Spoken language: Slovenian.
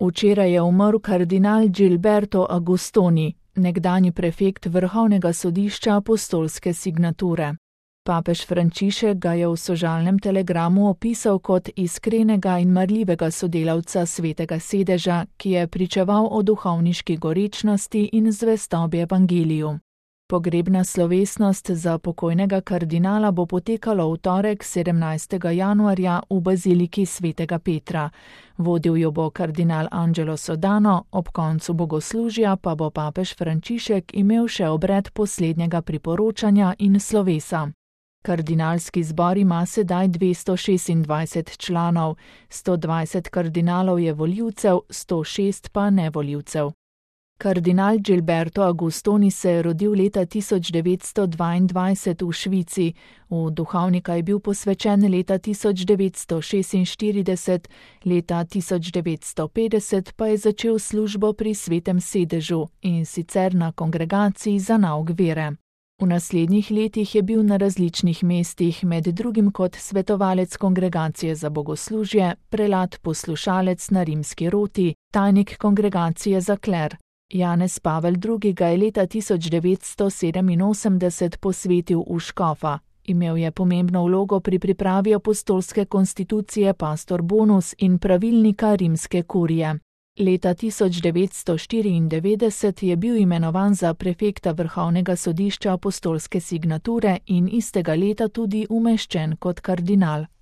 Včeraj je umrl kardinal Gilberto Agostoni, nekdanji prefekt Vrhovnega sodišča apostolske signature. Papež Frančišek ga je v sožalnem telegramu opisal kot iskrenega in marljivega sodelavca Svetega sedeža, ki je pričeval o duhovniški gorečnosti in zvestobi evangeliju. Pogrebna slovesnost za pokojnega kardinala bo potekala v torek 17. januarja v baziliki Svetega Petra. Vodil jo bo kardinal Angelo Sodano, ob koncu bogoslužja pa bo papež Frančišek imel še obred poslednjega priporočanja in slovesa. Kardinalski zbor ima sedaj 226 članov, 120 kardinalov je volivcev, 106 pa nevolivcev. Kardinal Gilberto Agostoni se je rodil leta 1922 v Švici, v duhovnika je bil posvečen leta 1946, leta 1950 pa je začel službo pri Svetem sedežu, in sicer na kongregaciji za nauk vere. V naslednjih letih je bil na različnih mestih, med drugim kot svetovalec kongregacije za bogoslužje, prelat poslušalec na rimski roti, tajnik kongregacije za kler. Janez Pavel II. Ga je leta 1987 posvetil v škofa. Imel je pomembno vlogo pri pripravi apostolske konstitucije Pastor Bonus in pravilnika rimske kurije. Leta 1994 je bil imenovan za prefekta Vrhovnega sodišča apostolske signature in istega leta tudi umeščen kot kardinal.